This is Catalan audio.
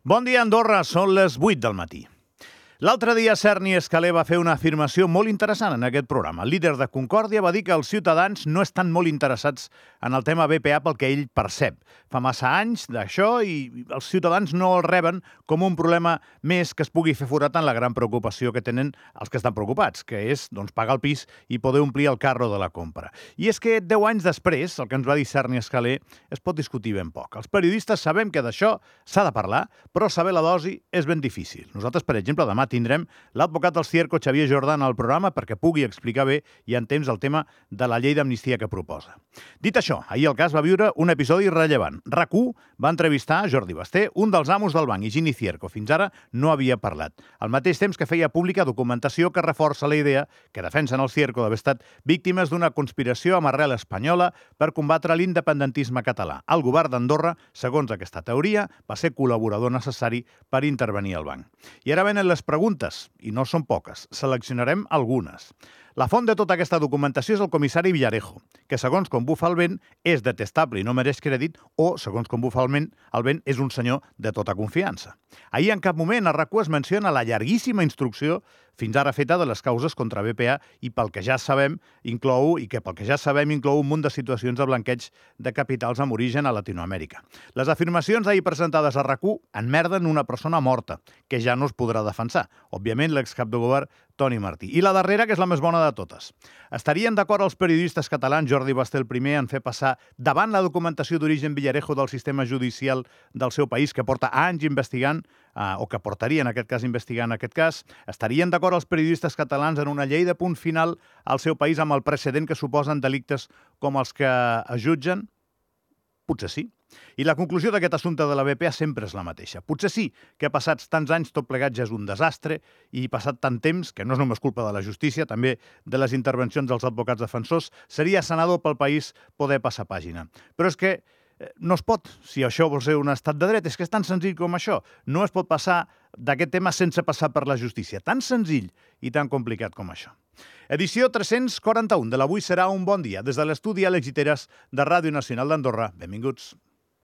Bon dia, Andorra. Són les 8 del matí. L'altre dia, Cerny Escalé va fer una afirmació molt interessant en aquest programa. El líder de Concòrdia va dir que els ciutadans no estan molt interessats en el tema BPA pel que ell percep. Fa massa anys d'això i els ciutadans no el reben com un problema més que es pugui fer forat en la gran preocupació que tenen els que estan preocupats, que és pagar el pis i poder omplir el carro de la compra. I és que 10 anys després, el que ens va dir Cerny Escalé es pot discutir ben poc. Els periodistes sabem que d'això s'ha de parlar, però saber la dosi és ben difícil. Nosaltres, per exemple, demà tindrem l'advocat del Cierco, Xavier Jordan, al programa perquè pugui explicar bé i en temps el tema de la llei d'amnistia que proposa. Dit això, ahir el cas va viure un episodi rellevant. RAC1 va entrevistar Jordi Basté, un dels amos del banc, Higini Cierco. Fins ara no havia parlat. Al mateix temps que feia pública documentació que reforça la idea que defensen el Cierco d'haver estat víctimes d'una conspiració amb arrel espanyola per combatre l'independentisme català. El govern d'Andorra, segons aquesta teoria, va ser col·laborador necessari per intervenir al banc. I ara venen les preguntes, i no són poques. Seleccionarem algunes. La font de tota aquesta documentació és el comissari Villarejo, que segons com bufa el vent és detestable i no mereix crèdit, o segons com bufa el vent és un senyor de tota confiança. Ahir en cap moment a RAC1 es menciona la llarguíssima instrucció fins ara feta de les causes contra BPA i pel que ja sabem inclou un munt de situacions de blanqueig de capitals amb origen a Latinoamèrica. Les afirmacions ahir presentades a RAC1 enmerden una persona morta, que ja no es podrà defensar. Òbviament, l'excap de govern Toni Martí. I la darrera, que és la més bona de totes. Estarien d'acord els periodistes catalans Jordi Basté el primer en fer passar davant la documentació d'origen Villarejo del sistema judicial del seu país, que porta anys investigant, o que portaria en aquest cas investigant aquest cas, estarien d'acord els periodistes catalans en una llei de punt final al seu país amb el precedent que suposen delictes com els que es jutgen? Potser sí. I la conclusió d'aquest assumpte de la BPA sempre és la mateixa. Potser sí que passats tants anys tot plegat ja és un desastre i passat tant temps, que no és només culpa de la justícia, també de les intervencions dels advocats defensors, seria sanador pel país poder passar pàgina. Però és que no es pot, si això vol ser un estat de dret, és que és tan senzill com això. No es pot passar d'aquest tema sense passar per la justícia. Tan senzill i tan complicat com això. Edició 341 de l'Avui serà un bon dia. Des de l'estudi Àlex Giteras de Ràdio Nacional d'Andorra. Benvinguts.